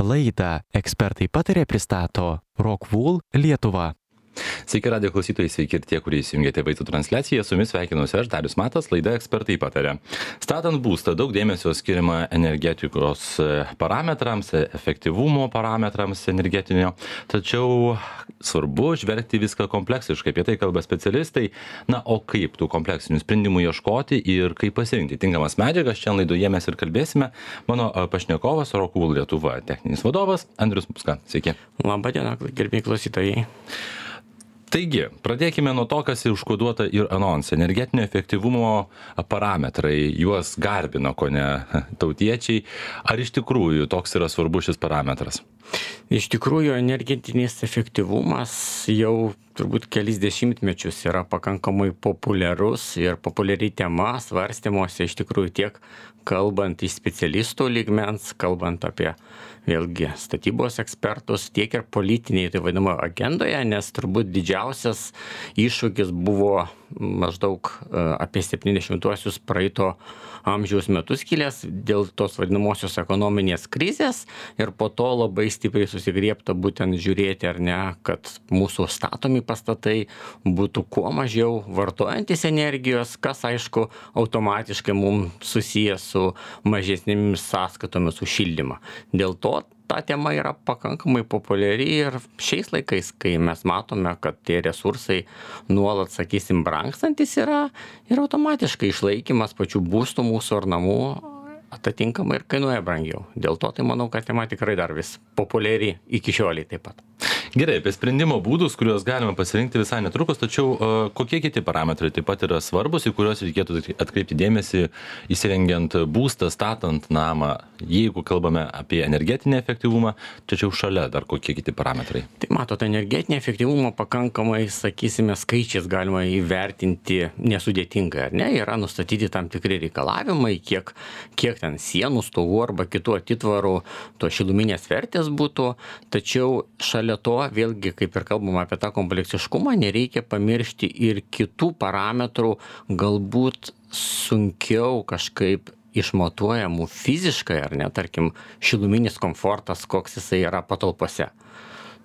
Laidą ekspertai patarė pristato Rockwool Lietuva. Sveiki radijo klausytojai, sveiki ir tie, kurie įsijungėte vaizdo transliaciją. Su jumis sveikinuosi aš, Darius Matas, laida ekspertai patarė. Statant būstą daug dėmesio skiriama energetikos parametrams, efektyvumo parametrams energetinio, tačiau svarbu žvelgti viską kompleksiškai, apie tai kalba specialistai. Na, o kaip tų kompleksinių sprendimų ieškoti ir kaip pasirinkti tinkamas medžiagas, čia laidoje mes ir kalbėsime. Mano pašnekovas Rockwool Lietuva techninis vadovas Andrius Muska. Sveiki. Labą dieną, gerbėjai klausytojai. Taigi, pradėkime nuo to, kas užkoduota ir anonse. Energetinio efektyvumo parametrai, juos garbina kone tautiečiai. Ar iš tikrųjų toks yra svarbus šis parametras? Iš tikrųjų, energetinis efektyvumas jau turbūt kelis dešimtmečius yra pakankamai populiarus ir populiari tema svarstymuose, iš tikrųjų tiek kalbant iš specialistų lygmens, kalbant apie vėlgi statybos ekspertus, tiek ir politiniai, tai vadinamo, agendoje, nes turbūt didžiausias iššūkis buvo maždaug apie 70-uosius praeito amžiaus metus kilęs dėl tos vadinamosios ekonominės krizės ir po to labai stipriai susigriebta būtent žiūrėti, ar ne, kad mūsų statomi pastatai būtų kuo mažiau vartojantis energijos, kas aišku automatiškai mums susijęs su mažesnėmis sąskaitomis už šildymą. Dėl to ta tema yra pakankamai populiari ir šiais laikais, kai mes matome, kad tie resursai nuolat, sakysim, brangstantis yra ir automatiškai išlaikymas pačių būstų mūsų ar namų atitinkamai ir kainuoja brangiau. Dėl to tai manau, kad tema tikrai dar vis populiari iki šioliai taip pat. Gerai, apie sprendimo būdus, kuriuos galima pasirinkti visai netrukus, tačiau kokie kiti parametrai taip pat yra svarbus, į kuriuos reikėtų atkreipti dėmesį įsirengiant būstą, statant namą, jeigu kalbame apie energetinį efektyvumą, tačiau šalia dar kokie kiti parametrai? Tai matote, energetinį efektyvumą pakankamai, sakysime, skaičiais galima įvertinti nesudėtingai, ar ne? Yra nustatyti tam tikri reikalavimai, kiek ten sienų, stogų arba kitų atitvarų to šiluminės vertės būtų, tačiau šalia to vėlgi, kaip ir kalbama apie tą kompleksiškumą, nereikia pamiršti ir kitų parametrų, galbūt sunkiau kažkaip išmatuojamų fiziškai, ar ne, tarkim, šiluminis komfortas, koks jisai yra patalpose.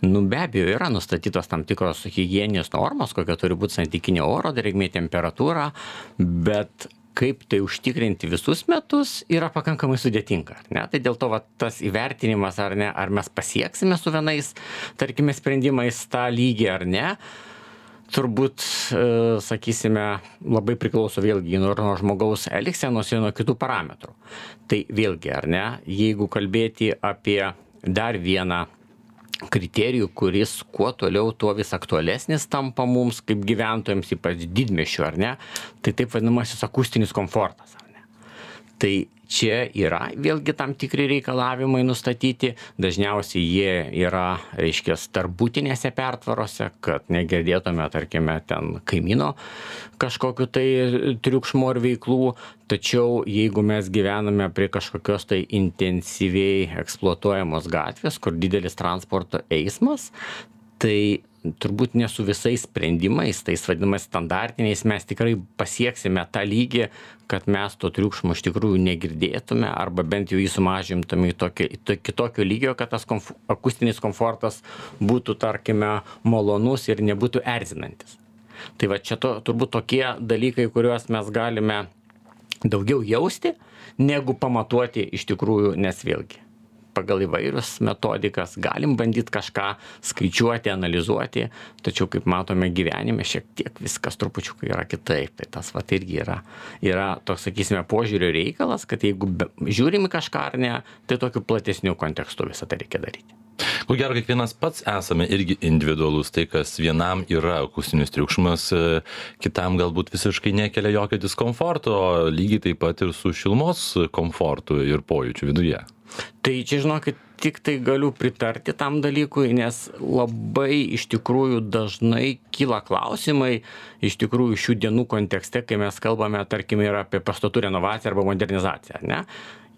Be abejo, yra nustatytos tam tikros higieninės normos, kokia turi būti santykinė oro drėgmė, temperatūra, bet kaip tai užtikrinti visus metus yra pakankamai sudėtinga, ar ne? Tai dėl to tas įvertinimas, ar ne, ar mes pasieksime su vienais, tarkime, sprendimais tą lygį ar ne, turbūt, sakysime, labai priklauso vėlgi nuo žmogaus elgsenos ir nuo kitų parametrų. Tai vėlgi, ar ne, jeigu kalbėti apie dar vieną kriterijų, kuris kuo toliau, tuo vis aktualesnis tampa mums kaip gyventojams, ypač didmiesčių, ar ne, tai taip vadinamasis akustinis komfortas, ar ne. Tai čia yra vėlgi tam tikri reikalavimai nustatyti, dažniausiai jie yra, reiškia, tarpbutinėse pertvarose, kad negirdėtume, tarkime, ten kaimyno kažkokiu tai triukšmo ar veiklų, tačiau jeigu mes gyvename prie kažkokios tai intensyviai eksploatuojamos gatvės, kur didelis transporto eismas, tai turbūt ne su visais sprendimais, tais vadinamais standartiniais, mes tikrai pasieksime tą lygį, kad mes to triukšmo iš tikrųjų negirdėtume arba bent jau jį sumažintume į kitokio lygio, kad tas akustinis komfortas būtų, tarkime, malonus ir nebūtų erzinantis. Tai va čia turbūt tokie dalykai, kuriuos mes galime daugiau jausti, negu pamatuoti iš tikrųjų, nes vėlgi pagal įvairius metodikas galim bandyti kažką skaičiuoti, analizuoti, tačiau kaip matome gyvenime šiek tiek viskas trupučiukai yra kitaip. Tai tas irgi yra toks, sakysime, požiūrio reikalas, kad jeigu žiūrim į kažką ar ne, tai tokiu platesniu kontekstu visą tai reikia daryti. Ko gero, kiekvienas pats esame irgi individualus, tai kas vienam yra akustinis triukšmas, kitam galbūt visiškai nekelia jokio diskomforto, lygiai taip pat ir su šilumos komfortu ir pojūčiu viduje. Tai čia, žinokit, tik tai galiu pritarti tam dalykui, nes labai iš tikrųjų dažnai kyla klausimai, iš tikrųjų šių dienų kontekste, kai mes kalbame, tarkime, ir apie pastatų renovaciją arba modernizaciją, ar ne?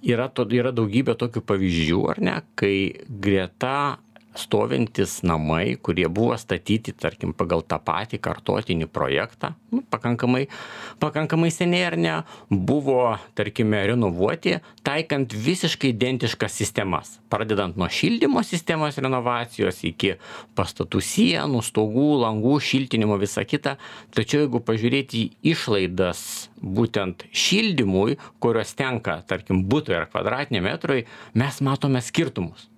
Yra daugybė tokių pavyzdžių, ar ne, kai greta stovintys namai, kurie buvo statyti, tarkim, pagal tą patį kartotinį projektą, pakankamai seniai ar ne, buvo, tarkime, renovuoti, taikant visiškai identiškas sistemas, pradedant nuo šildymo sistemos renovacijos iki pastatų sienų, stogų, langų, šiltinimo, visa kita. Tačiau jeigu pažiūrėti į išlaidas būtent šildymui, kurios tenka, tarkim, butui ar kvadratiniam metrui, mes matome skirtumus.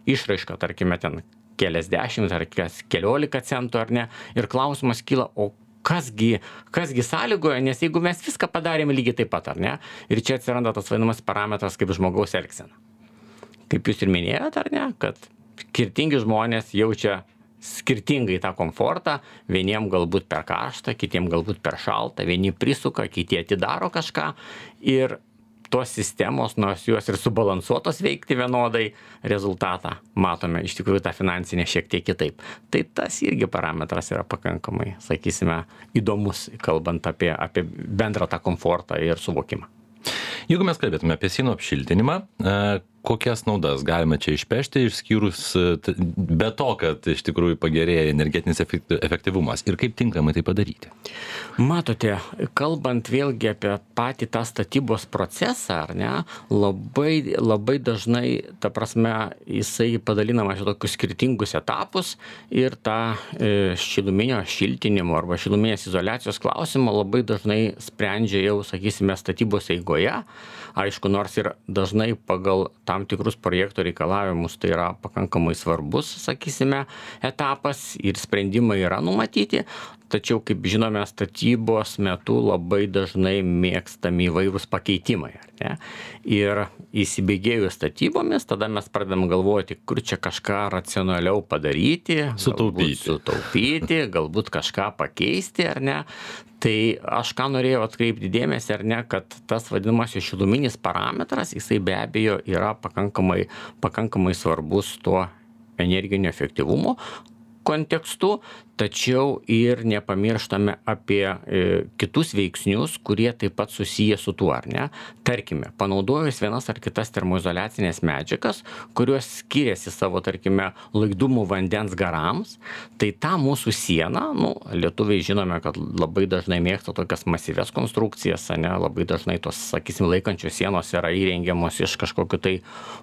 Išraiška, tarkime, ten keliasdešimt ar keliolika centų ar ne. Ir klausimas kyla, o kasgi sąlygoja, nes jeigu mes viską padarėme lygiai taip pat, ar ne? Ir čia atsiranda tas vadinamas parametras kaip žmogaus elgsena. Kaip jūs ir minėjote, ar ne, kad skirtingi žmonės jaučia skirtingai tą komfortą, vieniem galbūt per karštą, kitiem galbūt per šaltą, vieni prisuka, kiti atidaro kažką ir tos sistemos, nors jos ir subalansuotos veikti vienodai, rezultatą matome iš tikrųjų tą finansinę šiek tiek kitaip. Tai tas irgi parametras yra pakankamai, sakysime, įdomus, kalbant apie bendrą tą komfortą ir suvokimą. Jeigu mes kalbėtume apie sienų apšiltinimą, kokias naudas galime čia išpešti, išskyrus be to, kad iš tikrųjų pagerėja energetinis efektyvumas ir kaip tinkamai tai padaryti? Matote, kalbant vėlgi apie patį tą statybos procesą, ar ne, labai dažnai, ta prasme, jisai padalinamas į tokius skirtingus etapus ir tą šiluminio šiltinimo arba šiluminės izoliacijos klausimą labai dažnai sprendžia jau, sakysime, statybos eigoje. Aišku, nors ir dažnai pagal tam tikrus projekto reikalavimus tai yra pakankamai svarbus, sakysime, etapas ir sprendimai yra numatyti, tačiau, kaip žinome, statybos metu labai dažnai mėgstami įvairūs pakeitimai, ar ne? Ir įsibėgėjus statybomis, tada mes pradedam galvoti, kur čia kažką racionaliau padaryti, sutaupyti, galbūt kažką pakeisti, ar ne? Tai aš ką norėjau atkreipti dėmesį, ar ne, kad tas vadinamasis šiluminis parametras, jisai be abejo yra pakankamai svarbus tuo energinio efektyvumo kontekstu, tačiau ir nepamirštame apie kitus veiksnius, kurie taip pat susiję su tuo, ar ne? Tarkime, panaudojus vienas ar kitas termoizoliacinės medžiagas, kurios skiriasi savo, tarkime, laidumu vandens garams, tai ta mūsų siena, lietuviai žinome, kad labai dažnai mėgsta tokias masyvias konstrukcijas, ne? Labai dažnai tos, sakysim, laikančios sienos yra įrengiamos iš kažkokių tai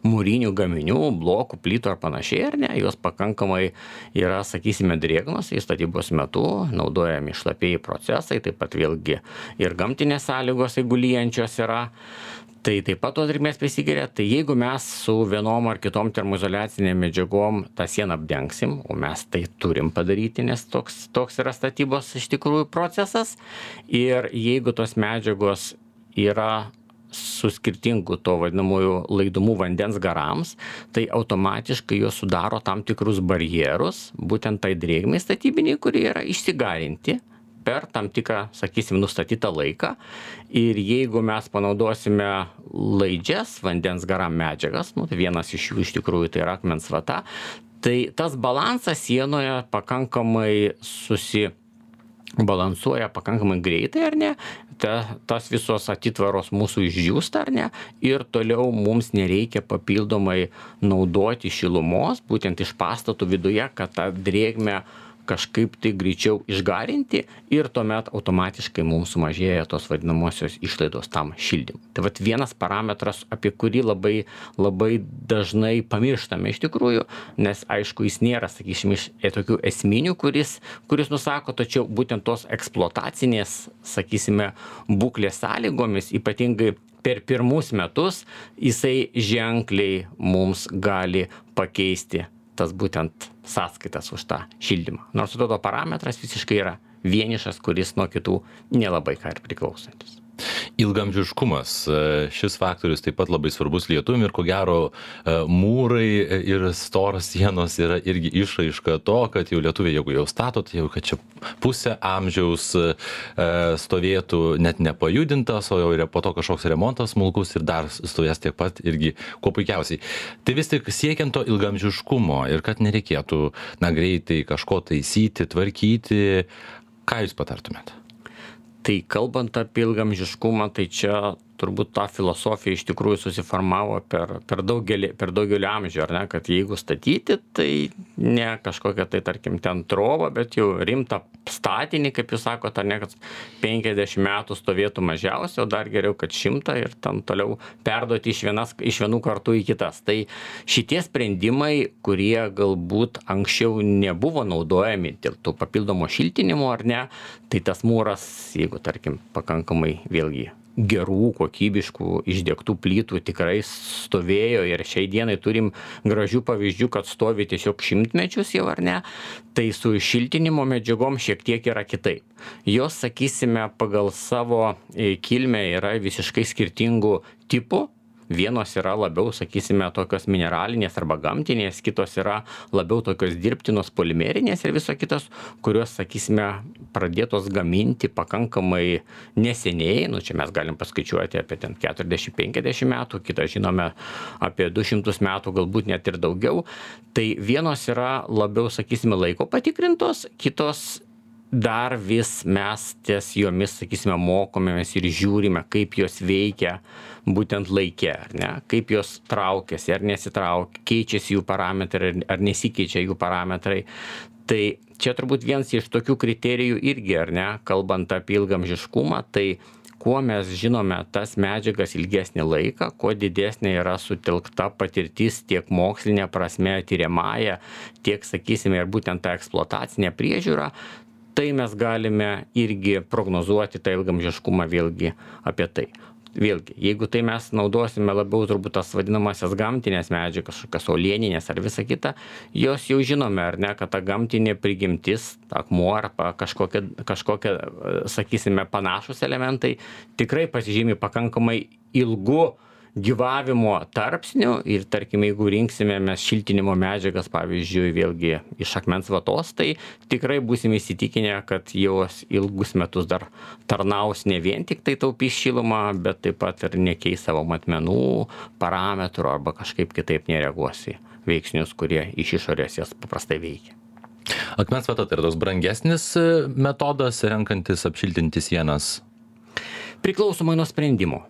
mūrinių gaminių, blokų, plytų ar panašiai, ar ne? Jos pakankamai yra, sakysime, drėgnos, statybos metu naudojami šlapieji procesai, taip pat vėlgi ir gamtinės sąlygos, jeigu lyjančios yra, tai taip pat tos drėgmės prisigeria. Tai jeigu mes su vienom ar kitom termoizoliacinėm medžiagom tą sieną apdengsim, o mes tai turim padaryti, nes toks yra statybos iš tikrųjų procesas, ir jeigu tos medžiagos yra su skirtingu to vadinamųjų laidumu vandens garams, tai automatiškai jos sudaro tam tikrus barjerus, būtent tai drėgmei statybiniai, kurie yra išsigarinti per tam tikrą, sakysim, nustatytą laiką. Ir jeigu mes panaudosime laidžias vandens garam medžiagas, tai vienas iš jų iš tikrųjų tai yra akmens vata, tai tas balansas sienoje pakankamai balansuoja pakankamai greitai, ar ne, tas visos atitvaros mūsų išdžiūsta, ar ne, ir toliau mums nereikia papildomai naudoti šilumos, būtent iš pastatų viduje, kad tą drėgmę kažkaip tai greičiau išgarinti, ir tuomet automatiškai mums sumažėja tos vadinamosios išlaidos tam šildymui. Tai vat vienas parametras, apie kurį labai dažnai pamirštame iš tikrųjų, nes aišku, jis nėra, sakysim, iš tokių esminių, kuris nusako, tačiau būtent tos eksploatacinės, sakysime, būklės sąlygomis, ypatingai per pirmus metus, jisai ženkliai mums gali pakeisti tas būtent sąskaitas už tą šildymą. Nors atrodo parametras visiškai yra vienišas, kuris nuo kitų nelabai ką ir priklausantis. Ilgamžiškumas. Šis faktorius taip pat labai svarbus lietuvim, ir ko gero mūrai ir storos sienos yra irgi išraiška to, kad jau lietuviai, jeigu jau stato, tai jau kad čia pusę amžiaus stovėtų net nepajudintas, o jau yra po to kažkoks remontas smulkus ir dar stovės tiek pat irgi kuo puikiausiai. Tai vis tik siekiant to ilgamžiškumo ir kad nereikėtų greitai kažko taisyti, tvarkyti, ką jūs patartumėte? Tai kalbant apie ilgamžiškumą, tai čia turbūt ta filosofija iš tikrųjų susiformavo per daugelį amžių, ar ne, kad jeigu statyti, tai ne kažkokia tai, tarkim, ten trova, bet jau rimtą statinį, kaip jūs sakote, ar ne, kad 50 metų stovėtų mažiausiai, o dar geriau, kad 100 ir tam toliau perduoti iš vienų kartų į kitas. Tai šitie sprendimai, kurie galbūt anksčiau nebuvo naudojami dėl to papildomo šiltinimo, ar ne, tai tas mūras, jeigu, tarkim, pakankamai vėlgi gerų, kokybiškų, išdegtų plytų tikrai stovėjo ir šiai dienai turim gražių pavyzdžių, kad stovi tiesiog šimtmečius jau, ar ne, tai su šiltinimo medžiagom šiek tiek yra kitaip. Jos, sakysime, pagal savo kilmę yra visiškai skirtingų tipų. Vienos yra labiau, sakysime, tokios mineralinės arba gamtinės, kitos yra labiau tokios dirbtinos polimerinės ir viso kitos, kurios, sakysime, pradėtos gaminti pakankamai neseniai, čia mes galim paskaičiuoti apie ten 40-50 metų, kitą žinome apie 200 metų, galbūt net ir daugiau. Tai vienos yra labiau, sakysime, laiko patikrintos, kitos dar vis mes ties jomis, sakysime, mokomės ir žiūrime, kaip jos veikia būtent laike, ar ne, kaip jos traukiasi ar nesitraukia, keičiasi jų parametrai ar nesikeičia jų parametrai. Tai čia turbūt vienas iš tokių kriterijų irgi, ar ne, kalbant apie ilgamžiškumą, tai kuo mes žinome tas medžiagas ilgesnį laiką, kuo didesnė yra sutelkta patirtis tiek mokslinė prasme, tyriamąja, tiek, sakysime, ir būtent ta eksploatacinė priežiūra, tai mes galime irgi prognozuoti tą ilgamžiškumą vėlgi apie tai. Vėlgi, jeigu tai mes naudosime labiau turbūt tas vadinamasias gamtinės medžiagas, kažkokias uolieninės ar visa kita, jos jau žinome, ar ne, kad ta gamtinė prigimtis, akmuo arba kažkokie, sakysime, panašus elementai tikrai pasižymi pakankamai ilgu gyvavimo tarpsnių ir, tarkim, jeigu rinksime mes šiltinimo medžiagas, pavyzdžiui, vėlgi iš akmens vatos, tai tikrai būsime įsitikinę, kad jos ilgus metus dar tarnaus ne vien tik tai taupys šilumą, bet taip pat ir nekeis savo matmenų, parametrų arba kažkaip kitaip nereaguos į veiksnius, kurie iš išorės jas paprastai veikia. Akmens vata tai yra toks brangesnis metodas, renkantis apšiltinti sienas? Priklausomai nuo sprendimo.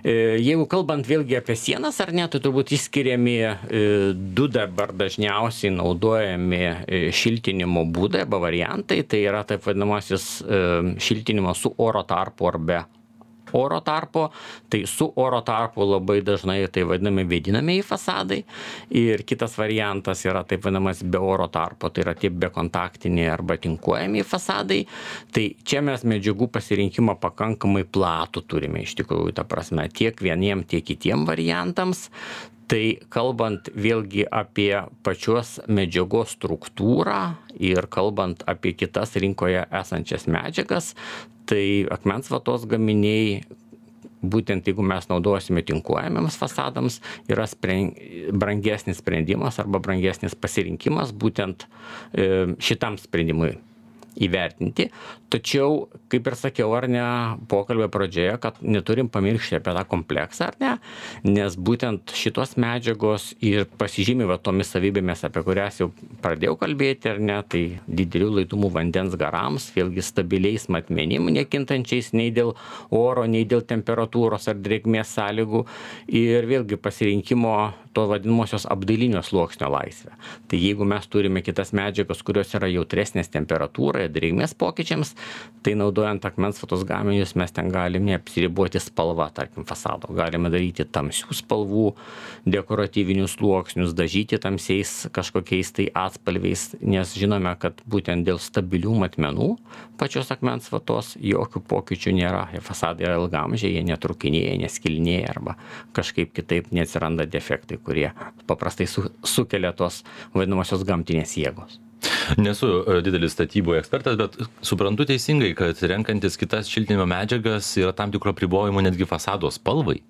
Jeigu kalbant vėlgi apie sienas ar ne, tai turbūt išskiriami du dabar dažniausiai naudojami šiltinimo būdai arba variantai, tai yra taip vadinamasis šiltinimas su oro tarpu ar be oro tarpo, tai su oro tarpu labai dažnai tai vadinami vėdinamieji fasadai ir kitas variantas yra taip vadinamas be oro tarpo, tai yra tie bekontaktiniai arba tinkuojami fasadai. Tai čia mes medžiagų pasirinkimą pakankamai platų turime iš tikrųjų, ta prasme, tiek vieniem, tiek kitiem variantams. Tai kalbant vėlgi apie pačios medžiagos struktūrą ir kalbant apie kitas rinkoje esančias medžiagas, tai akmens vatos gaminiai, būtent jeigu mes naudosime tinkuojamiems fasadams, yra brangesnis sprendimas arba brangesnis pasirinkimas būtent šitam sprendimui įvertinti. Tačiau, kaip ir sakiau, ar ne, pokalbio pradžioje, kad neturim pamiršti apie tą kompleksą, ar ne, nes būtent šitos medžiagos ir pasižymi va tomis savybėmis, apie kurias jau pradėjau kalbėti, ar ne, tai didelių laidumu vandens garams, vėlgi stabiliais matmenim, nekintančiais nei dėl oro, nei dėl temperatūros ar drėgmės sąlygų ir vėlgi pasirinkimo to vadinamosios apdailinio sluoksnio laisvę. Tai jeigu mes turime kitas medžiagas, kurios yra jautresnės temperatūrai, drėgmės pokyčiams, tai naudojant akmens vatos gaminius mes ten galime apsiriboti spalva, tarkim, fasado. Galime daryti tamsių spalvų, dekoratyvinius sluoksnius, dažyti tamsiais kažkokiais tai atspalviais, nes žinome, kad būtent dėl stabilių matmenų pačios akmens vatos jokių pokyčių nėra. Fasadai yra ilgamžiai, jie netrukinėja, neskilinėja arba kažkaip kitaip neatsiranda defektai, kurie paprastai sukelia tos vadinamosios gamtinės jėgos. Nesu didelis statybų ekspertas, bet suprantu teisingai, kad renkantis kitas šiltinimo medžiagas yra tam tikro apribojimo netgi fasado spalvai.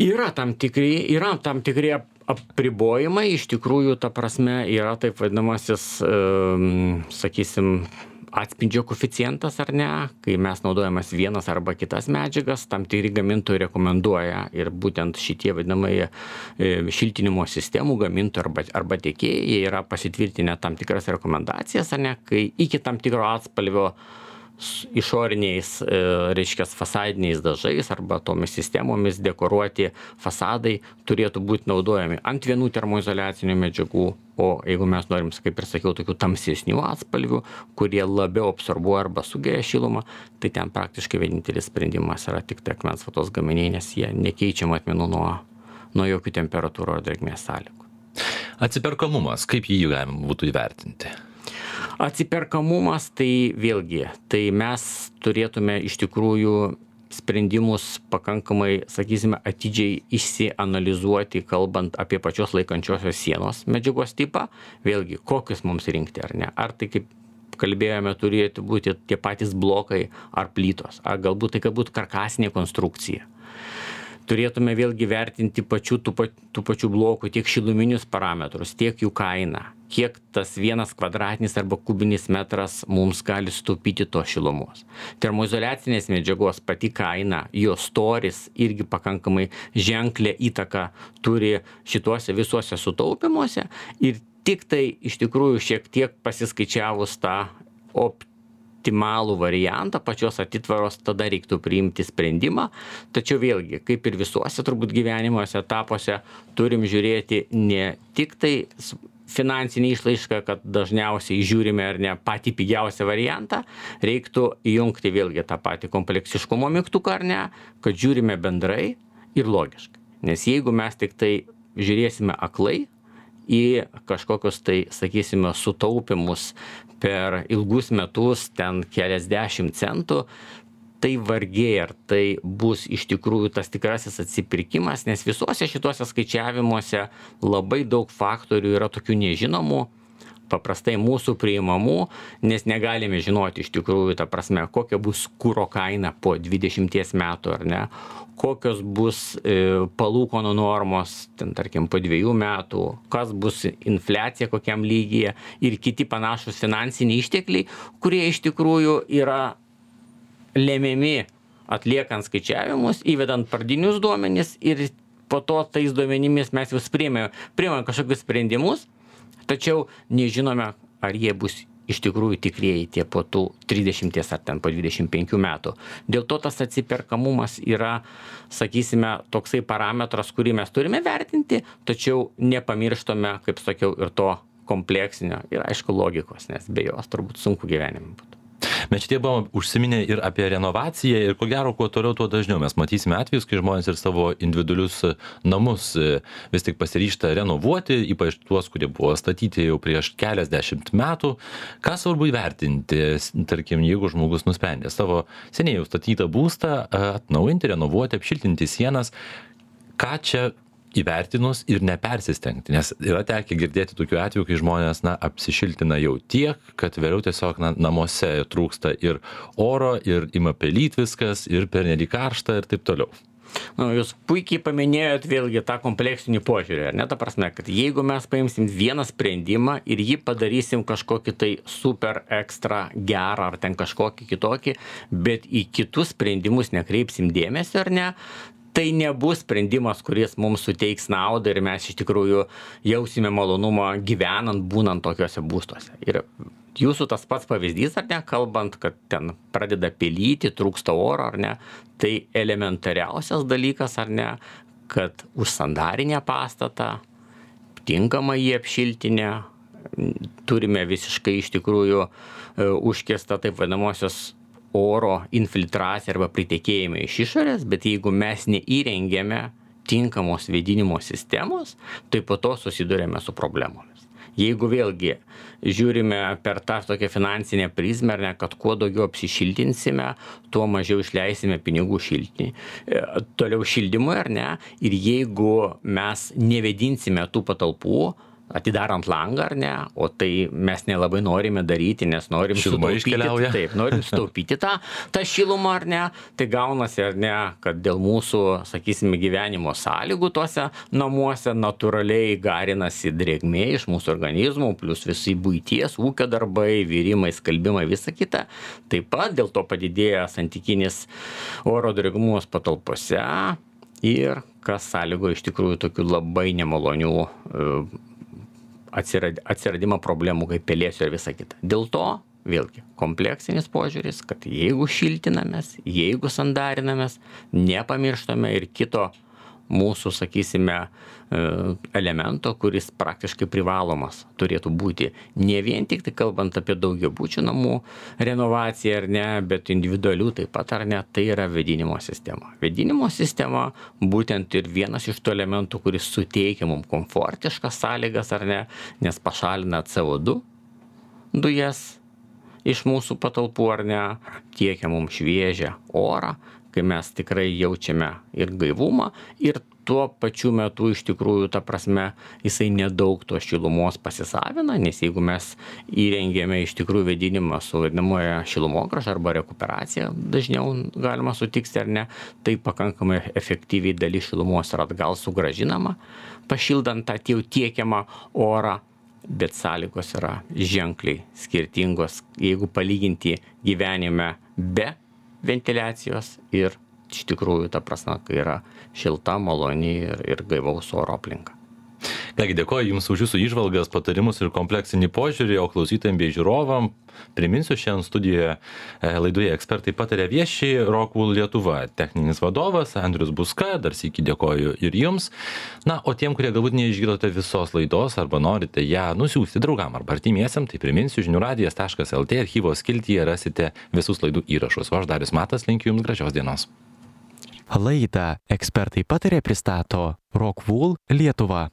Yra tam tikri apribojimai, iš tikrųjų, ta prasme, yra taip vadinamasis, sakysim, atspindžio koeficientas ar ne, kai mes naudojamas vienas arba kitas medžiagas, tam tikri gamintojai rekomenduoja ir būtent šitie vadinamai šiltinimo sistemų gamintojai arba tiekėjai, jie yra pasitvirtinę tam tikras rekomendacijas, ar ne, kai iki tam tikro atspalvio išoriniais, reiškia, fasadiniais dažais arba tomis sistemomis dekoruoti fasadai turėtų būti naudojami ant vienų termoizoliacinių medžiagų, o jeigu mes norim, kaip ir sakiau, tokių tamsesnių atspalvių, kurie labiau absorbuoja arba sugeria šilumą, tai ten praktiškai vienintelis sprendimas yra tik tai akmens vatos gaminiai, nes jie nekeičia matmenų nuo jokių temperatūrų ar drėgmės sąlygų. Atsiperkamumas, kaip jį galima būtų įvertinti? Atsiperkamumas, tai vėlgi, tai mes turėtume iš tikrųjų sprendimus pakankamai, sakysime, atidžiai išsianalizuoti, kalbant apie pačios laikančiosios sienos medžiagos tipą, vėlgi, kokius mums rinkti ar ne. Ar tai, kaip kalbėjome, turėtų būti tie patys blokai ar plytos, ar galbūt tai, kad būtų karkasinė konstrukcija. Turėtume vėlgi vertinti tų pačių blokų tiek šiluminius parametrus, tiek jų kainą, kiek tas 1 kvadratinis arba kubinis metras mums gali sutaupyti tos šilumos. Termoizoliacinės medžiagos pati kaina, jos storis irgi pakankamai ženklę įtaką turi šituose visuose sutaupimuose ir tik tai iš tikrųjų šiek tiek pasiskaičiavus tą optimalų variantą pačios atitvaros, tada reiktų priimti sprendimą. Tačiau vėlgi, kaip ir visuose turbūt gyvenimuose etapuose, turim žiūrėti ne tik tai finansinį išlaišką, kad dažniausiai žiūrime ar ne patį pigiausią variantą, reiktų įjungti vėlgi tą patį kompleksiškumo mygtuką ar ne, kad žiūrime bendrai ir logiškai. Nes jeigu mes tik tai žiūrėsime aklai į kažkokius tai, sakysime, sutaupimus per ilgus metus, ten keliasdešimt centų, tai vargiai ar tai bus iš tikrųjų tas tikrasis atsipirkimas, nes visuose šituose skaičiavimuose labai daug faktorių yra tokių nežinomų, paprastai mūsų priimamų, nes negalime žinoti iš tikrųjų, ta prasme, kokia bus kuro kaina po 20 metų ar ne, kokios bus palūkanų normos, ten tarkim po 2 metų, kas bus infliacija kokiam lygyje ir kiti panašus finansiniai ištekliai, kurie iš tikrųjų yra lemiami atliekant skaičiavimus, įvedant pradinius duomenis ir po to tais duomenimis mes jau priėmėme kažkokius sprendimus, tačiau nežinome, ar jie bus iš tikrųjų tikrieji tie po tų 30 ar ten po 25 metų. Dėl to tas atsiperkamumas yra, sakysime, toksai parametras, kurį mes turime vertinti, tačiau nepamirštame, kaip sakiau, ir to kompleksinio ir aišku logikos, nes be jos turbūt sunku gyvenime būtų. Mes šitie buvom užsiminę ir apie renovaciją ir ko gero, kuo toliau, tuo dažniau mes matysime atvejus, kai žmonės ir savo individualius namus vis tik pasiryžta renovuoti, ypač tuos, kurie buvo statyti jau prieš keliasdešimt metų. Ką svarbu įvertinti, tarkim, jeigu žmogus nusprendė savo seniai jau statytą būstą atnaujinti, renovuoti, apšiltinti sienas, ką čia įvertinus ir nepersistengti, nes yra tekę girdėti tokių atvejų, kai žmonės apsišiltina jau tiek, kad vėliau tiesiog namuose trūksta ir oro, ir ima pelyt viskas, ir pernelyg karšta ir taip toliau. Jūs puikiai paminėjot vėlgi tą kompleksinį požiūrį, ar ne, ta prasme, kad jeigu mes paimsim vieną sprendimą ir jį padarysim kažkokį tai super ekstra gerą ar ten kažkokį kitokį, bet į kitus sprendimus nekreipsim dėmesio, ar ne, tai nebus sprendimas, kuris mums suteiks naudą ir mes iš tikrųjų jausime malonumą gyvenant, būnant tokiuose būstuose. Ir jūsų tas pats pavyzdys, ar ne, kalbant, kad ten pradeda pelyti, trūksta oro, ar ne, tai elementariausias dalykas, ar ne, kad užsandarinę pastatą, tinkamą jį apšiltinę, turime visiškai iš tikrųjų užkestą taip vadinamosios oro infiltracija arba pritekėjimai iš išorės, bet jeigu mes neįrengėme tinkamos vėdinimo sistemos, tai po to susidurėme su problemomis. Jeigu vėlgi žiūrime per tą tokią finansinę prizmę, ar ne, kad kuo daugiau apsišiltinsime, tuo mažiau išleisime pinigų toliau šildymui, ar ne, ir jeigu mes nevėdinsime tų patalpų, atidarant langą, ar ne, o tai mes nelabai norime daryti, nes norim sutaupyti tą šilumą, ar ne, tai gaunasi, ar ne, kad dėl mūsų, sakysime, gyvenimo sąlygų tuose namuose natūraliai garinasi drėgmė iš mūsų organizmų, plus visi buities, ūkio darbai, virimai, skalbimai, visa kita. Taip pat dėl to padidėja santykinis oro drėgmumas patalpose ir kas sąlygo iš tikrųjų tokių labai nemalonių atsiradimą problemų kaip pelėsių ir visa kita. Dėl to vėlgi kompleksinis požiūris, kad jeigu šiltinamės, jeigu sandarinamės, nepamirštame ir kito mūsų, sakysime, elemento, kuris praktiškai privalomas turėtų būti. Ne vien tik tai kalbant apie daugiabučių namų renovaciją ar ne, bet individualių taip pat ar ne, tai yra vėdinimo sistema. Vėdinimo sistema būtent ir vienas iš tų elementų, kuris suteikia mums komfortiškas sąlygas ar ne, nes pašalina CO2 dujas iš mūsų patalpų ar ne, tiekia mums šviežią orą, kai mes tikrai jaučiame ir gaivumą, ir tuo pačiu metu iš tikrųjų, ta prasme, jisai nedaug tos šilumos pasisavina, nes jeigu mes įrengėme iš tikrųjų vėdinimą su vadinamoja šilumogrąža arba rekuperacija, dažniau galima sutikti ar ne, tai pakankamai efektyviai dalis šilumos yra atgal sugrąžinama, pašildant tą jau tiekiamą orą, bet sąlygos yra ženkliai skirtingos, jeigu palyginti gyvenime be ventiliacijos ir iš tikrųjų, ta prasme, kai yra šilta, maloni ir gaivaus oro aplinka. Kągi, dėkoju Jums už Jūsų įžvalgas, patarimus ir kompleksinį požiūrį, o klausytojams bei žiūrovam priminsiu, šiandien studijoje laidoje ekspertai patarė vieši Rockwool Lietuva techninis vadovas Andrius Buska, dar sykį dėkoju ir Jums. Na, o tiem, kurie galbūt neišgirdote visos laidos arba norite ją nusiųsti draugam arba artimiesiam, tai priminsiu, žiniųradijas.lt archyvos skiltyje rasite visus laidų įrašus. O aš Darius Matas linkiu Jums gražios dienos. Laidą ekspertai patarė pristato Rockwool Lietuva.